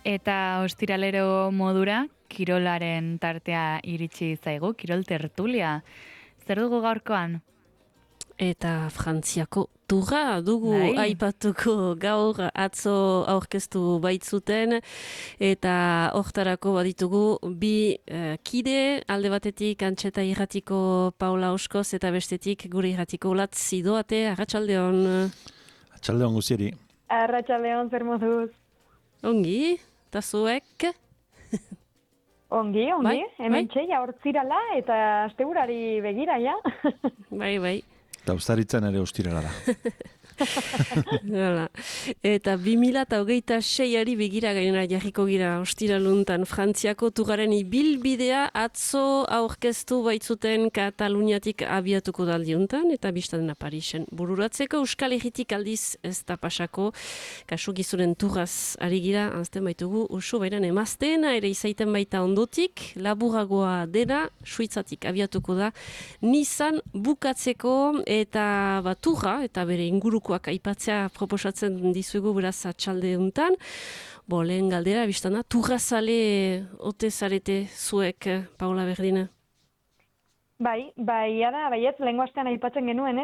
Eta ostiralero modura, kirolaren tartea iritsi zaigu, kirol tertulia. Zer dugu gaurkoan? Eta Frantziako turra dugu aipatuko gaur atzo aurkeztu baitzuten eta hortarako baditugu bi kide, alde batetik Antxeta irratiko Paula Oskoz eta bestetik gure irratiko Olatz Zidoate. Arratsaldeon. Arratsaldeon guzieri. Arratsaldeon, zer moduz? Ongi, eta zuek? Ongi, hemen txeia hortzirala eta asteburari begira, ja. Bai. Eta ustaritzen ere ostirala da. Eta 2026ari begira gainera jarriko gira ostiraluntan Frantziako turraren ibilbidea atzo aurkeztu baitzuten Kataluniatik abiatuko daldiuntan eta biztadena Parisen bururatzeko. Euskal Herritik aldiz ez da pasako, kasu gizuren turraz ari gira, anzten baitugu usu bairan emazteena ere izaiten baita ondotik, laburagoa dena, Suitzatik abiatuko da Nizan bukatzeko eta turra eta bere inguruko aipatzea proposatzen dizuegu beraz atxalde untan. Lehen galdera, biztana, turrazale ote zarete zuek, Paula Berdina? Bai, baietz, lehenko astean aipatzen genuen,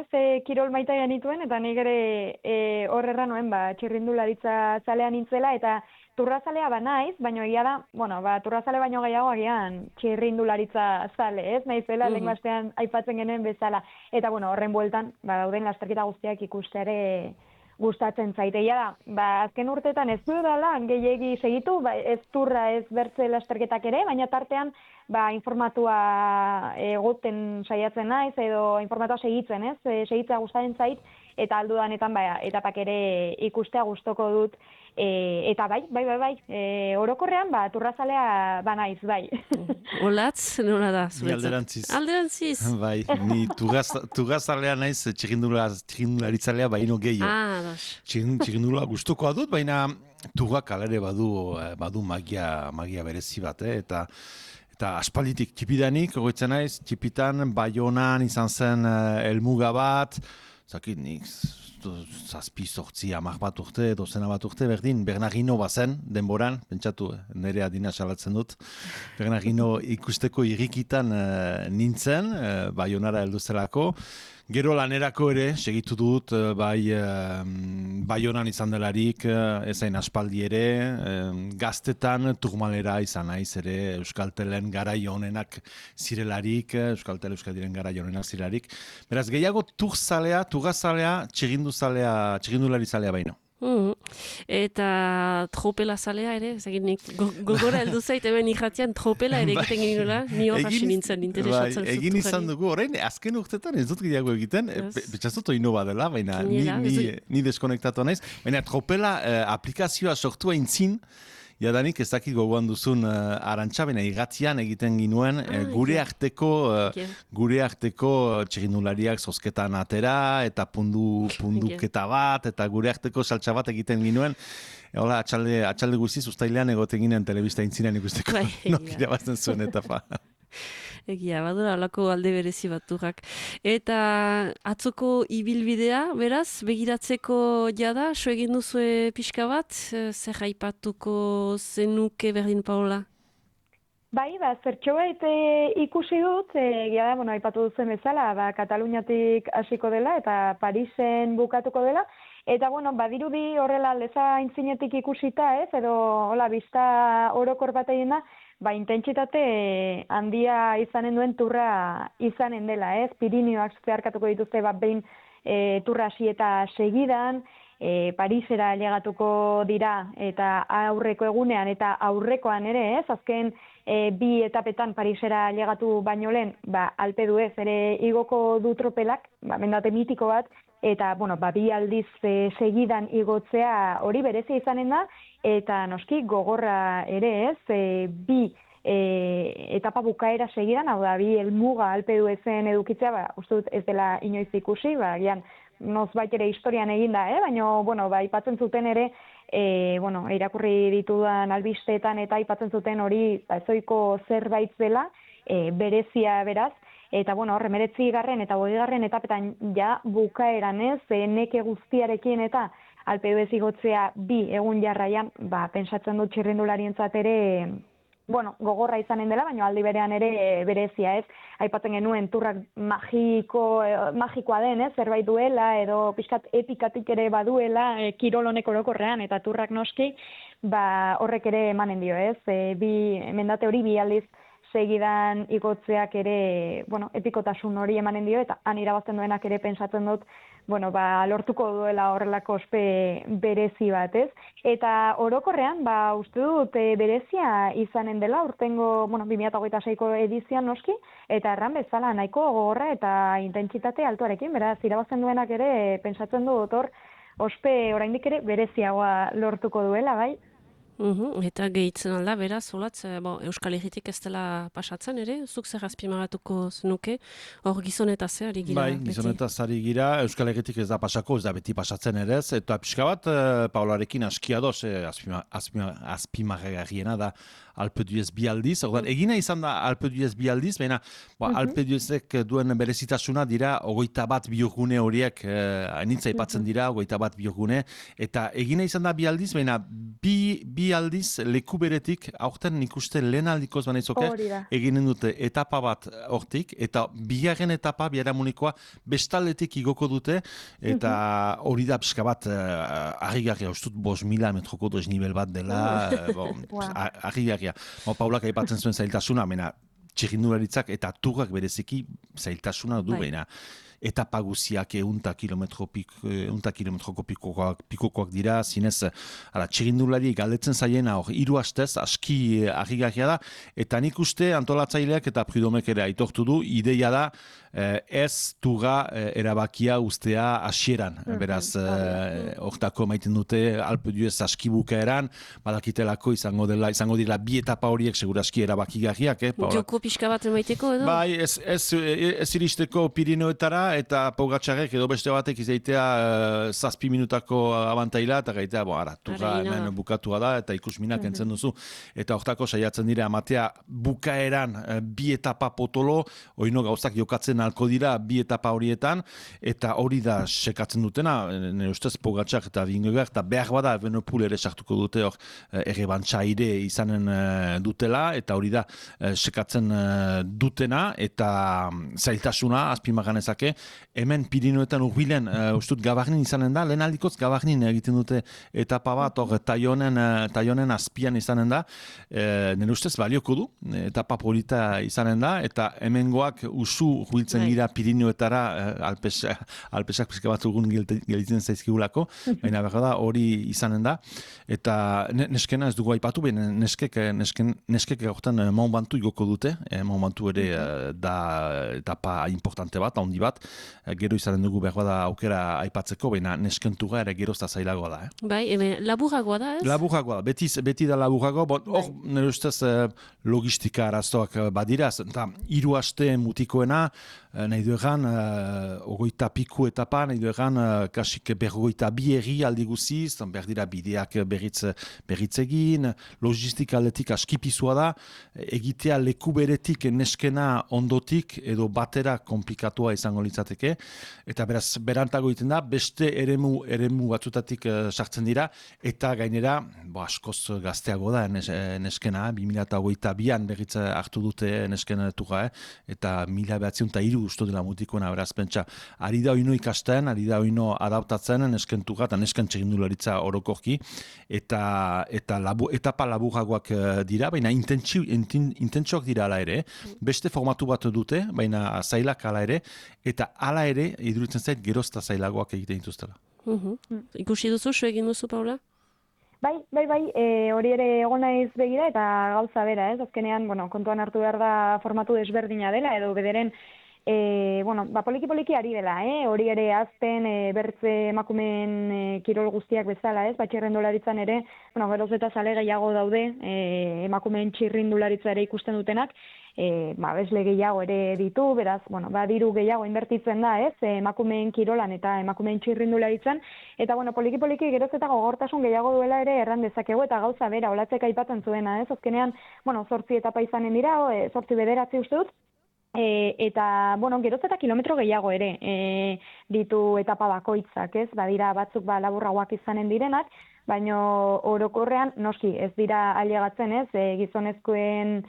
kirol maita genituen, eta nik ere horrerra noen, txirrindularitza zalea nintzela, eta turrazalea naiz, baina egia da, turrazale baino gehiago agian txirrindularitza zale, naizela lehenko astean aipatzen genuen bezala. Eta horren bueltan, dauden lasterketa guztiak ikusteare gustatzen zaiteia da. Azken urteetan ez du dela, gehiegi segitu, ez turra ez bertze lasterketak ere, baina tartean informatua egoten saiatzen naiz, edo informatua segitzen, segitzea gustatzen zait, eta aldudanetan etapak ere ikustea gustoko dut. Eta bai, orokorrean turrazalea naiz, bai. Olatz, nola da? Ni alderantziz. Alderantziz? Bai, ni turrazalea naiz, txirrindularitzalea baino gehiago. Txirrindula gustukoa dut, baina turrak alere badu magia berezi bat, eta aspalditik txipidanik, goitzen naiz, txipitan, Baionan izan zen helmuga bat, zakit nik, zazpi sortzi amak bat urte, dozena bat urte, berdin, Bernardino bazen, denboran, pentsatu, nire adina salatzen dut, Bernardino ikusteko irrikitan nintzen, Baionara heldu zelako. Gero lanerako ere, segitu dut, Baionan izan delarik, ezain aspaldi ere, gaztetan turmalera izan naiz ere, Euskaltelen garai honenak zirelarik, Euskadiren garai honenak zirelarik. Beraz, gehiago turgazalea, txirrindulari zalea baino. Eta tropela zalea ere, gogora heldu zait, hemen irratian tropela ere egiten geniola, ni hor hasi nintzen interesatzen. Egin izan dugu, orain, azken urtetan ez dut gehiago egiten, betxazut oino badela, baina ni deskonektatua naiz, baina tropela aplikazioa sortua intzin, jadanik ez dakit gogoan duzun Arantxa, baina irratian egiten ginuen gure arteko txirrindulariak zozketan atera, eta punduketa bat, eta gure arteko saltsa bat egiten ginuen. Hola, atxalde guztiz, ustailean egoten ginen telebista intzinean ikusteko, nokira bazten zuen etapa. Egia, badura alako alde berezi baturrak. Eta atzoko ibilbidea, beraz, begiratzeko jada, so egin duzue pixka bat, zer aipatuko zenuke berdin, Paola? Bai, zertxobait ikusi dut, egia da, aipatu duzen bezala, Kataluniatik hasiko dela eta Parisen bukatuko dela, eta badirudi horrela leza intzinetik ikusita, edo hola bizta orokor bat egin da, intentsitate handia izanen duen turra izanen dela, Pirinioak zeharkatuko dituzte behin turra hasi eta segidan, Parisera llegatuko dira eta aurreko egunean eta aurrekoan ere, azken bi etapetan Parisera llegatu baino lehen, Alpe d'Huez ere igoko du tropelak, mendate mitiko bat, eta bi aldiz segidan igotzea hori berezi izanen da, eta noski gogorra ere bi etapa bukaera segidan, hau da, bi helmuga Alpe d'Huezen edukitzea, uste dut ez dela inoiz ikusi, gian nozbait ere historian eginda, baina, aipatzen zuten ere, irakurri ditudan albisteetan eta aipatzen zuten hori ezoiko zerbait zela, berezia beraz, eta, hor, 19. eta 20. etapetan ja bukaeran neke guztiarekin eta Alpe d'Huez igotzea 2 egun jarraian, pentsatzen dut txirrindularientzat ere gogorra izanen dela, baina aldi berean ere berezia, ez? Aipatzen genuen turrak magikoa den, ez? Zerbait duela edo pixkat epikatik ere baduela kirol honek orokorrean eta turrak noski, horrek ere emanen dio, ez? Mendate hori 2 aldiz segidan igotzeak ere, epikotasun hori emanen dio, eta han irabazten duenak ere pentsatzen dut, lortuko duela horrelako ospe berezi bat, ez? Eta orokorrean, uste dut berezia izanen dela, urtengo, 2026ko edizioan noski, eta erran bezala nahiko gogorra eta intentsitate altuarekin, beraz, irabazten duenak ere pentsatzen dut hor, ospe oraindik ere bereziagoa lortuko duela, bai? Eta gehitzen alda, beraz, olatz, Euskal Herritik ez dela pasatzen ere, zuk zer azpimagatuko zenuke, hor gizonetaz ari gira. Bai, gizonetaz ari gira, Euskal Herritik ez da pasako, ez da beti pasatzen ere ez, eta pixka bat, Paularekin askiadoz, azpimagarriena da Alpe d'Huez 2 aldiz, egina izan da Alpe d'Huez 2 aldiz, baina Alpe d'Huezek duen berezitasuna dira 21 biogune horiek, nintza ipatzen dira, 21 biogune, eta egina izan da 2 aldiz, baina bi aldiz leku beretik, aurten nik uste lehen aldikoz banaizoke, eginen dute etapa bat hortik, eta bigarren etapa, biaramunikoa, bestaldetik igoko dute, eta hori da pixka bat, argigarria, ustut 5.000 metroko desnibel bat dela, argigarria. Paulak aipatzen zuen zailtasuna, mena txirrindularitzak eta turrak bereziki zailtasuna du, baina etapa guziak 100 kilometroko pikokoak dira, zinez txirrindulari galdetzen zaiena hor 3 astez, aski argigarria da, eta nik uste antolatzaileak eta Pridomek ere aitortu du, ideia da ez turra erabakia ustea hasieran. Beraz, hortako maiten dute Alpe d'Huez aski bukaeran, badakitelako izango dira 2 etapa horiek seguraski erabakigarriak. Joko pixka bat emaiteko edo? Bai, ez iristeko Pirineoetara, eta Pogačarek edo beste batek izaitea 7 minutako abantaila, eta gaitea, turra hemen bukatua da, eta ikusminak entzen duzu. Eta hortako saiatzen dira amatea bukaeran 2 etapa potolo, oino gauzak jokatzen alko dira 2 etapa horietan, eta hori da sekatzen dutena, nire ustez Pogačar eta Vingegaard, eta behar bada Evenepoel ere sartuko dute hor errebantzaire izanen dutela, eta hori da sekatzen dutena, eta zailtasuna azpimaganezake, hemen Pirineoetan urbilen, ustut Gavarnin izanen da, lehen aldikoz Gavarnin egiten dute etapa bat, hor taionen azpian izanen da, nire ustez balioko du, etapa polita izanen da, eta hemengoak usu huiltzen gira Pirineoetara, alpesak pizka bat urgun gelditzen zaizkigulako, baina behar da hori izanen da, eta neskena ez dugu aipatu, baina neskek gaurtan Mont Ventoux igoko dute, Mont Ventoux ere da etapa importante bat, handi bat, gero izanen dugu behar da aukera aipatzeko, baina neskentuga ere gerozta zailagoa da. Bai, laburagoa da, ez? Laburagoa da, beti da laburagoa, hor nire ustez logistika arazoak badira, eta 3 aste mutikoena, nahi du egan, 20 piku etapa, nahi du egan, kasik 52 erri aldi guziz, behar dira bideak berritz egin, logistika aldetik askipizua da, egitea leku beretik neskena ondotik edo batera komplikatua izango litzateke, eta beraz, berantago egiten da, beste eremu batzutatik sartzen dira, eta gainera, askoz gazteago da neskena, 2022an berritz hartu dute neskena turra, eta 1903 usto dela mutikoena, beraz, pentsa, ari da oino ikasten, ari da oino adaptatzen neskentuga, eta nesken txirrindularitza orokorki, eta etapa laburagoak dira, baina intentsioak dira ala ere, beste formatu bat dute, baina zailak ala ere, eta ala ere, iduritzen zait, gerozta zailagoak egiten dituztela. Ikusi duzu, egin duzu, Paula? Bai, hori ere egon naiz begira eta gauza bera, ez? Azkenean, kontuan hartu behar da formatu desberdina dela, edo bederen, poliki ari dela, hori ere azten bertze emakumeen kirol guztiak bezala, ez? Txirrindularitzan ere, geroz eta zale gehiago daude, emakumeen txirrindularitza ere ikusten dutenak, besle gehiago ere ditu, beraz, diru gehiago inbertitzen da, ez? Emakumeen kirolan eta emakumeen txirrindularitzan, eta poliki geroz eta gogortasun gehiago duela ere erran dezakegu, eta gauza bera, olatzek aipatzen zuena, ez? Azkenean, 8 etapa izanen dira, 8 bederatzi uste dut, Eta, bueno, geroz eta kilometro gehiago ere ditu etapa bakoitzak, ez? Badira batzuk laburragoak izanen direnak, baina orokorrean noski ez dira ailegatzen, ez? Gizonezkoen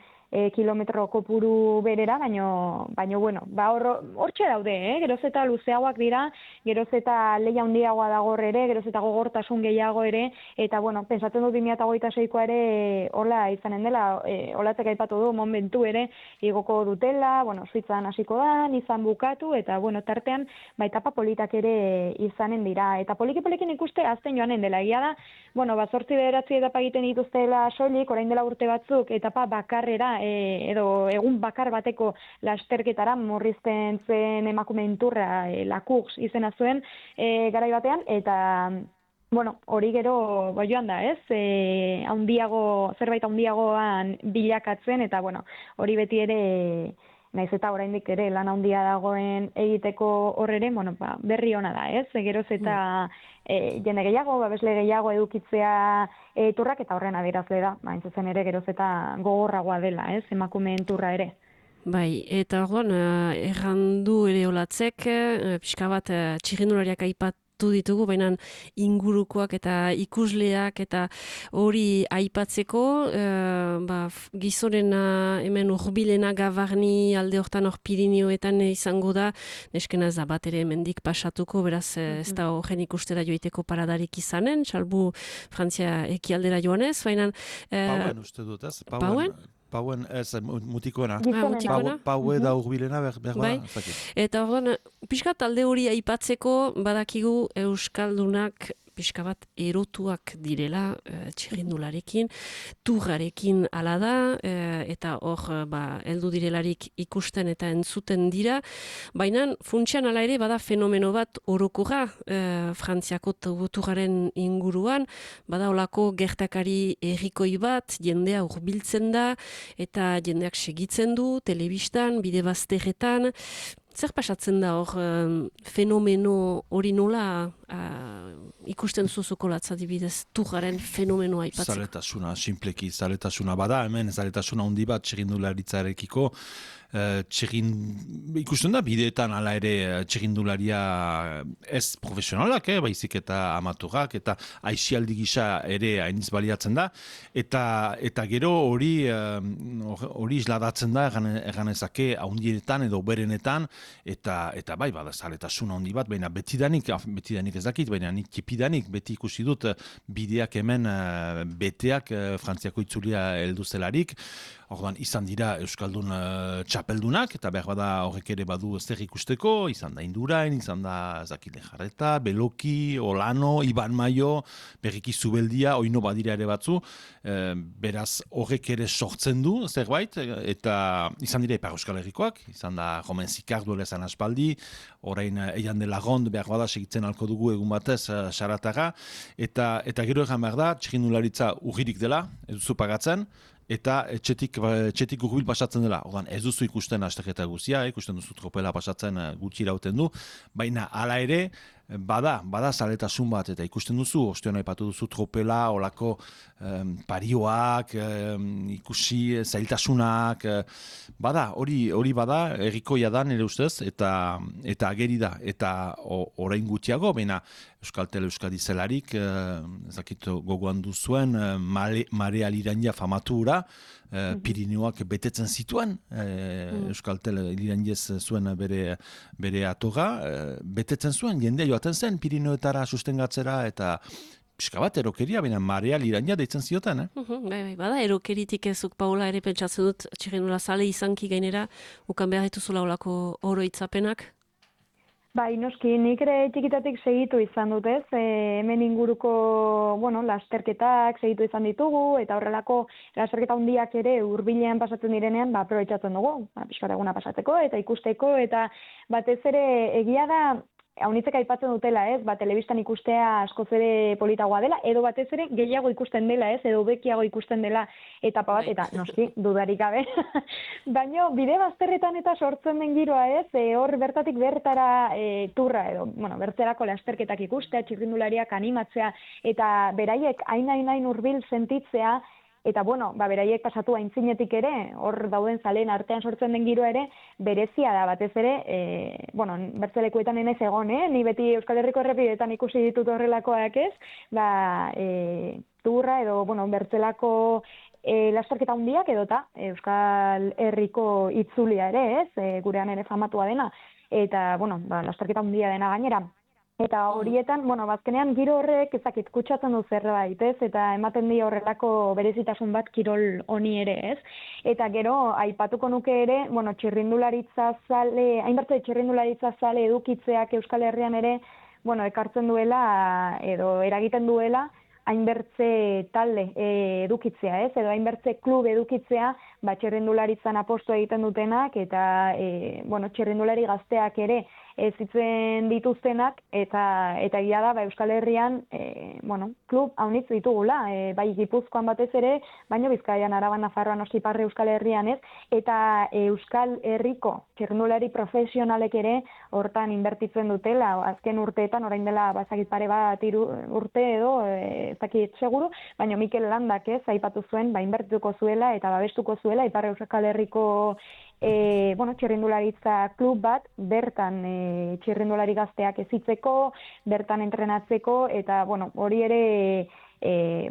kilometro kopuru berera, baino bueno, hortxe daude, geroz eta luzeagoak dira, geroz eta lehia handiagoa dago ere, geroz eta gogortasun gehiago ere, eta bueno, pensatzen dut 2026koa ere hola izanen dela, holatzek aipatu du, momentu ere igoko dutela, bueno, Suitzan hasiko da, izan bukatu, eta bueno, tartean, etapa politak ere izanen dira, eta poliki-polikin ikuste azten joanen dela, egia da, bueno, 8-9 etapa egiten dituztela soilik, orain dela urte batzuk, etapa bakarrera, edo egun bakar bateko lasterketara murrizten zen emakumeen turra Lakux izena zuen garai batean, eta bueno, hori gero joan da, ez? Zerbait handiagoan bilakatzen, eta bueno, hori beti ere naiz eta oraindik ere lan handia dagoen egiteko horrere, bueno, berri ona da, ez? Geroz eta jende gehiago, babesle gehiago edukitzea turrak, eta horren adierazle da, hain zuzen ere geroz eta gogorragoa dela, ez? Emakumeen turra ere. Bai, eta orduan, errandu ere olatzek, pixka bat txirrindulariak aipatu ditugu, baina ingurukoak eta ikusleak eta hori aipatzeko, gizonena hemen urbilena Gavarni alde hortan hor Pirinioetan izango da, neskena ez da bat ere hemendik pasatuko, beraz ez da horren ikustera joiteko paradarik izanen, salbu Frantzia ekialdera joanez, baina... Pauen uste dut, ez? Pauen? Pauen, ez, mutikoena. Mutikoena. Paue da urbilena, bai. Eta orduan, pixka talde hori aipatzeko badakigu Euskaldunak pixka bat erotuak direla txirrindularekin, turrarekin ala da, eta hor heldu direlarik ikusten eta entzuten dira, baina funtsian ala ere bada fenomeno bat orokorra Frantziako turraren inguruan, bada olako gertakari errikoi bat, jendea hurbiltzen da, eta jendeak segitzen du, telebistan, bide bazterretan. Zer pasatzen da hor fenomeno hori nola ikusten zuzuko latzadibidez turraren fenomenoa aipatzeko? Zaletasuna, simpleki zaletasuna bada, hemen zaletasuna handi bat txirrindularitzarekiko, ikusten da bideetan hala ere txirrindularia ez profesionalak, baizik eta amaturak, eta aixialdi gisa ere hainiz baliatzen da, eta gero hori isladatzen da eganezake handienetan edo berenetan, eta bai, bada zaletasuna handi bat, baina betidanik ez dakit, baina nik tipidanik beti ikusi dut bideak hemen beteak Frantziako itzulia heldu zelarik. Orduan, izan dira Euskaldun txapeldunak, eta behar bada horrek ere badu zer ikusteko, izan da Indurain, izan da Zakile Jarreta, Beloki, Olano, Iban Maio, berriki Zubeldia, oino badira ere batzu, beraz horrek ere sortzen du zerbait, eta izan dira Ipar Euskal Herrikoak, izan da Romain Zikar duela ezan aspaldi, orain Eian de Lagond behar bada segitzen alko dugu egun batez Saratara, eta gero egan behar da, txirrindularitza urririk dela, ez duzu pagatzen, eta etxetik urbil pasatzen dela. Ordan ez duzu ikusten asteketa guzia, ikusten duzu tropela pasatzen gutxi irauten du, baina hala ere, bada zaletasun bat, eta ikusten duzu, ostean aipatu duzu tropela, olako parioak, ikusi zailtasunak, hori bada, errikoia da nire ustez, eta ageri da, eta orain gutxiago, baina Euskaltel Euskadi zelarik, ezakit gogoan duzuen, Marea Lirandia famatura, Pirineoak betetzen zituen, Euskaltel Lirandiez zuen bere atoga, betetzen zuen, jendea joaten zen Pirineoetara sustengatzera, eta pixka bat erokeria, baina Marea Lirandia deitzen zioten, Bada, erokeritik ezuk, Paula, ere pentsatzen dut, txirrindula zale izanki gainera, ukan behar dituzula olako oroitzapenak? Bai, noski, nik ere txikitatik segitu izan dut, ez? Hemen inguruko, lasterketak segitu izan ditugu, eta horrelako lasterketa handiak ere hurbilean pasatzen direnean, aprobetxatzen dugu, pixkat eguna pasatzeko, eta ikusteko, eta batez ere egia da, haunitzek aipatzen dutela, ez? Telebistan ikustea askoz ere politagoa dela, edo batez ere gehiago ikusten dela, ez? Edo bekiago ikusten dela etapa bat, eta noski, dudarik gabe. Baina bide bazterretan eta sortzen den giroa, ez? Hor bertatik bertara turra, edo, bertzerako lasterketak ikustea, txirrindulariak animatzea, eta beraiek hain hurbil sentitzea, eta bueno, beraiek pasatu aintzinetik ere, hor dauden zaleen artean sortzen den giroa ere, berezia da batez ere, bertzelekuetan enez egon, ni beti Euskal Herriko errepidetan ikusi ditut horrelakoak ez, turra edo, bertzelako lasterketa handiak edota Euskal Herriko itzulia ere ez, gurean ere famatua dena, eta, lasterketa handia dena gainera. Eta horietan, bazkenean giro horrek ezakit kutsatzen du zerbait, ez? Eta ematen di horrelako berezitasun bat kirol honi ere, ez? Eta gero, aipatuko nuke ere, txirrindularitza zale, hainbertze txirrindularitza zale edukitzeak Euskal Herrian ere, ekartzen duela edo eragiten duela, hainbertze talde edukitzea, ez? Edo hainbertze klub edukitzea, txirrindularitzan aposto egiten dutenak, eta, txirrindulari gazteak ere, zitzen dituztenak, eta egia da, Euskal Herrian, klub haunitz ditugula, bai Gipuzkoan batez ere, baina Bizkaian, Araban, Nafarroan, Ostiparre Euskal Herrian ez, eta Euskal Herriko txirrindulari profesionalek ere hortan inbertitzen dutela, azken urteetan, orain dela, bazakit pare bat urte edo, ezakit seguru, baina Mikel Landak ez, aipatu zuen, inbertituko zuela eta babestuko zuela, Ipar Euskal Herriko txirrindularitza klub bat, bertan txirrindulari gazteak ezitzeko, bertan entrenatzeko, eta hori ere,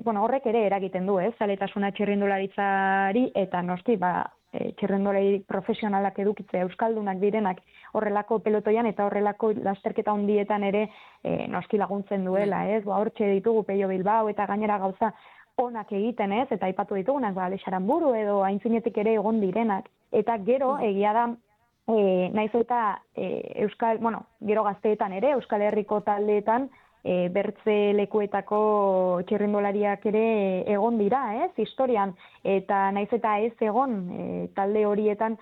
horrek ere eragiten du, zaletasuna txirrindularitzari, eta noski, txirrindulari profesionalak edukitzea euskaldunak direnak horrelako pelotoian eta horrelako lasterketa handietan ere noski laguntzen duela, hortxe ditugu Peio Bilbao eta gainera gauza onak egiten, eta aipatu ditugunak, Lexaranburu edo aintzinetik ere egon direnak. Eta gero, egia da, naiz eta gero gazteetan ere, Euskal Herriko taldeetan, bertze lekuetako txirrindulariak ere egon dira, historian, eta naiz eta ez egon talde horietan,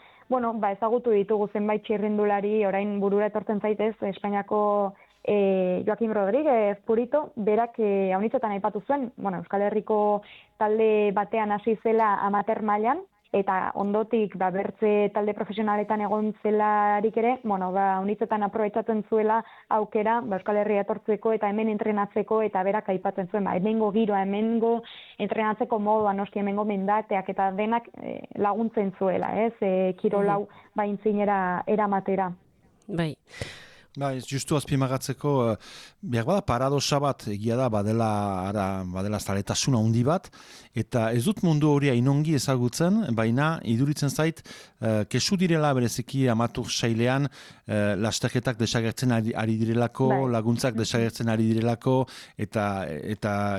ezagutu ditugu zenbait txirrindulari, orain burura etortzen zaitez, Espainiako Joaquim Rodríguez Purito, berak haunitzetan aipatu zuen, Euskal Herriko talde batean hasi zela amateur mailan, eta ondotik bertze talde profesionaletan egon zelarik ere, haunitzetan aprobetxatzen zuela aukera Euskal Herria etortzeko eta hemen entrenatzeko, eta berak aipatzen zuen, hemengo giroa, hemengo entrenatzeko modua, noski hemengo mendateak eta denak laguntzen zuela, kirolau intzinera eramatera. Bai. Justu azpimagatzeko, behar bada paradoxa bat, egia da, badela zaletasuna handi bat, eta ez dut mundu hori hainongi ezagutzen, baina iduritzen zait, kesu direla bereziki amatur sailean, lasterketak desagertzen ari direlako, laguntzak desagertzen ari direlako, eta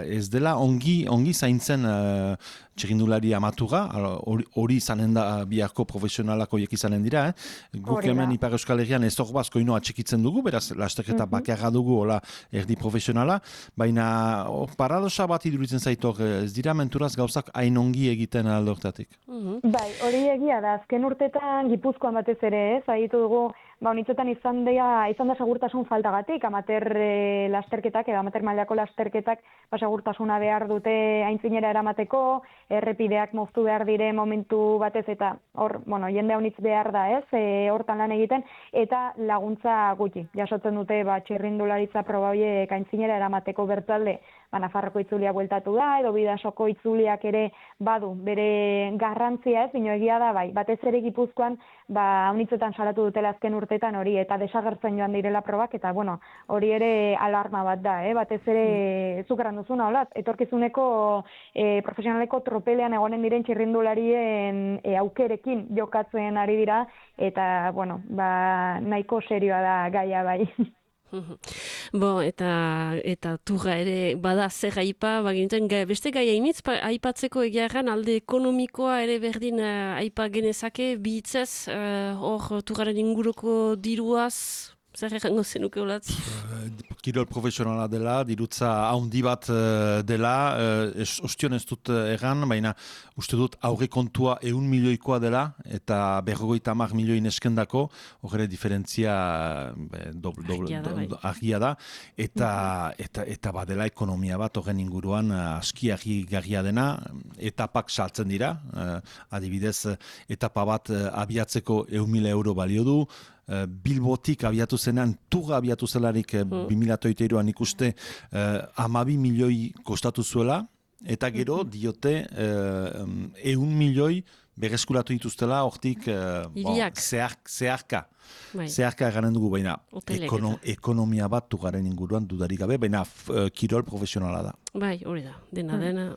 ez dela ongi zaintzen txirrindulari amatura, hori izanen da biharko profesionalak horiek izanen dira, guk hemen Ipar Euskal Herrian ez hor bazko ino atxikitzen dugu, beraz lasterketa bakarra dugu hola erdi profesionala, baina paradoxa bat iduritzen zaitor, ez dira menturaz gauzak hain ongi egiten aldortatik. Bai, hori egia da, azken urtetan Gipuzkoan batez ere, zaitu dugu, honitzetan izan da segurtasun faltagatik, amateur lasterketak edo amateur mailako lasterketak segurtasuna behar dute aintzinera eramateko, errepideak moztu behar dire momentu batez eta hor, jende honitz behar da hortan lan egiten, eta laguntza gutxi. Jasotzen dute txirrindularitza proba horiek aintzinera eramateko bertalde, Nafarroko itzulia bueltatu da, edo Bidasoko itzuliak ere badu bere garrantzia bino egia da, batez ere Gipuzkoan, haunitzetan salatu dutela azken urtetan hori, eta desagertzen joan direla probak, eta hori ere alarma bat da, batez ere zukeran duzuna, etorkizuneko profesionaleko tropelean egonen diren txirrindularien aukerekin jokatzen ari dira, eta, nahiko serioa da gaia bai. Eta turra ere bada zer aipa, beste gai hainitz, aipatzeko egiarran alde ekonomikoa ere berdin aipa genezake, bihitzez, hor turraren inguruko diruaz, zer errango zenuke olatz? Kirol profesionala dela, dirutza haundi bat dela, ostion ez dut erran, baina uste dut aurre kontua 1 milioikoa dela, eta 50 milioi neskendako, horre diferentzia argia da, eta badela ekonomia bat horren inguruan aski garria dena, etapak saltzen dira, adibidez, etapa bat abiatzeko 1.000 euro balio du, Bilbotik abiatu zenean, Turra abiatu zelarik 2008an ikuste 12 milioi kostatu zuela, eta gero diote 100 milioi berreskuratu dituztela hortik zeharka. Zeharka garen dugu, baina ekonomia bat tugaren inguruan dudarik gabe, baina kirol profesionala da. Bai, hori da, dena,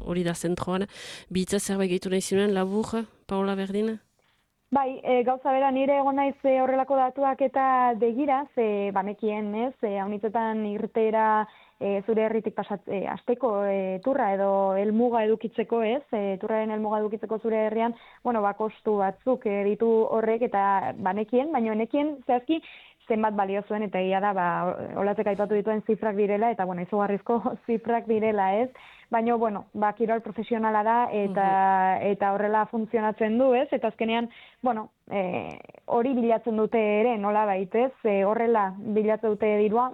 hori da zentroan. Bitza zerbait gehitu nahi zinuen, labur, Paola Berdin? Bai, gauza bera, nire egon naiz horrelako datuak eta begira, ze banekien, ez, haunitzetan irtera zure herritik asteko turra edo helmuga edukitzeko, ez, turraren helmuga edukitzeko zure herrian, kostu batzuk ditu horrek eta banekien, baina nekien zehazki zenbat balio zuen, eta egia da, olatzek aipatu dituen zifrak direla, eta, izugarrizko zifrak direla, ez? Baina, kirol profesionala da, eta horrela funtzionatzen du, ez? Eta azkenean, hori bilatzen dute ere, nola baitez, horrela bilatzen dute dirua,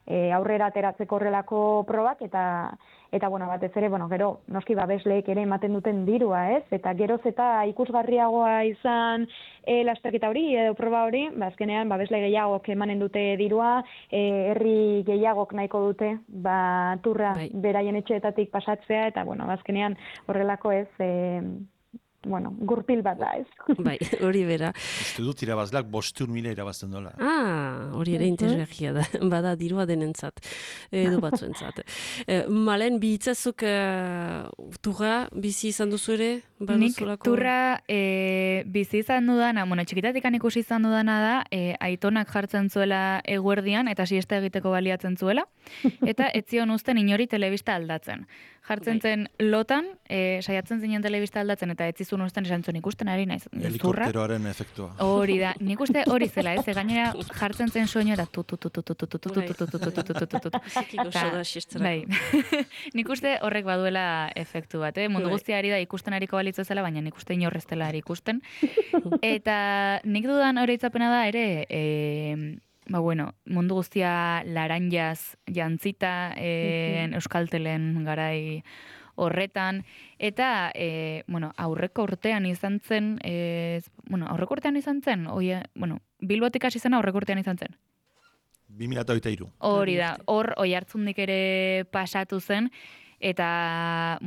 aurrera ateratzeko horrelako probak, eta batez ere, gero, noski babesleek ere ematen duten dirua, ez? Eta geroz eta ikusgarriagoa izan lasterketa hori, edo proba hori, azkenean babesle gehiagok emanen dute dirua, herri gehiagok nahiko dute, turra beraien etxeetatik pasatzea, eta, azkenean horrelako ez, gurpil bat da, ez? Bai, hori bera. Uste dut irabazleak 500.000 irabazten dola. Hori ere interesgarria da, bada dirua denentzat, edo batzuentzat. Malen, bihitzazuk turra bizi izan duzu ere? Nik turra bizi izan dudana, txikitatik ikusi izan dudana da, aitonak jartzen zuela eguerdian, eta siesta egiteko baliatzen zuela, eta etzion uzten inori telebista aldatzen. Jartzen zen lotan, saiatzen zinen telebista aldatzen, eta etzizun uzten esan zuen ikusten ari naiz. Helikopteroaren efektua. Hori da, nik uste hori zela, ez, gainera jartzen zen soinu eta nik uste horrek baduela efektu bat, mundu guztia ari da ikusten ariko balitzu zela, baina nik uste inorreztela ari ikusten. Eta nik dudan hori itzapena da ere, mundu guztia laranjaz jantzita Euskaltelen garai horretan, eta aurreko urtean izan zen, Bilbotik hasi zen aurreko urtean izan zen. 2023. Hori da, hor Oiartzundik ere pasatu zen, eta,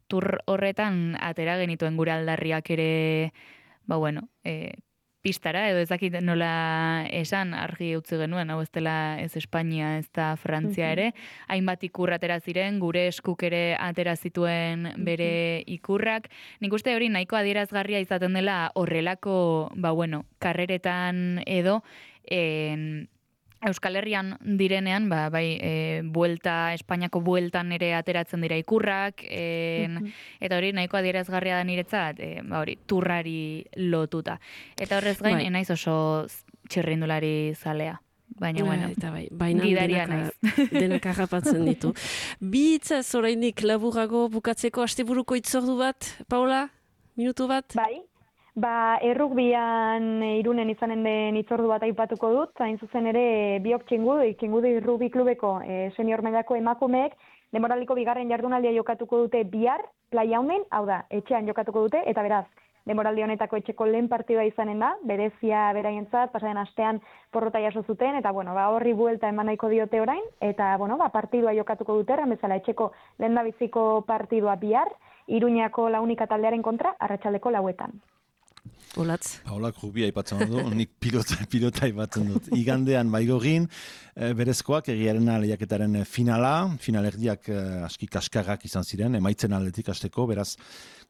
tur horretan atera genituen gure aldarriak ere, pistara, edo ez dakit nola esan argi utzi genuen, hau ez dela ez Espainia, ez da Frantzia ere, hainbat ikur atera ziren, gure eskuk ere atera zituen bere ikurrak. Nik uste hori nahiko adierazgarria izaten dela horrelako, karreretan edo, Euskal Herrian direnean, buelta, Espainiako bueltan ere ateratzen dira ikurrak, eta hori nahiko adierazgarria da niretzat, turrari lotuta. Eta horrez gain, naiz oso txirrindulari zalea. Baina, gidaria naiz. Denak harrapatzen ditu. Bi hitzaz orainik laburago bukatzeko asteburuko itzordu bat, Paola? Minutu bat? Bai. Errugbian Irunen izanen den itzordu bat aipatuko dut, hain zuzen ere biok txingudi rugbi klubeko senior mailako emakumeek denboraliko bigarren jardunaldia jokatuko dute bihar, playa honen, hau da, etxean jokatuko dute, eta beraz, denboraldi honetako etxeko lehen partidua izanen da, berezia beraientzat, pasaren astean porrota jaso zuten, eta horri buelta eman nahiko diote orain, eta partidua jokatuko dute, bezala etxeko lehendabiziko partidua bihar, Iruñako Launika taldearen kontra, arratsaldeko 4:00. Olatz. Paolak rugby aipatzen du, nik pilota aipatzen dut. Igandean baigogin, berezkoak egiarena lehiaketaren finalerdiak aski kaskarrak izan ziren, emaitzen aldetik hasteko, beraz,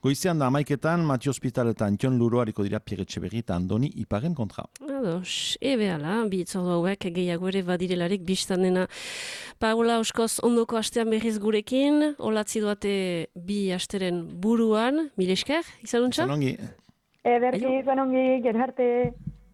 goizean da 11:00 Mati Hospital eta Antion Luro hariko dira Pierre Etxeberri eta Andoni Iparen kontra. Ados, behala, bi itzordu hauek gehiago ere badirelarik biztan dena. Paola Oskoz ondoko astean berriz gurekin, olatzi duate bi asteren buruan, mil esker, izanuntza? Izan ongi. Ederki, izan ongi, gero arte.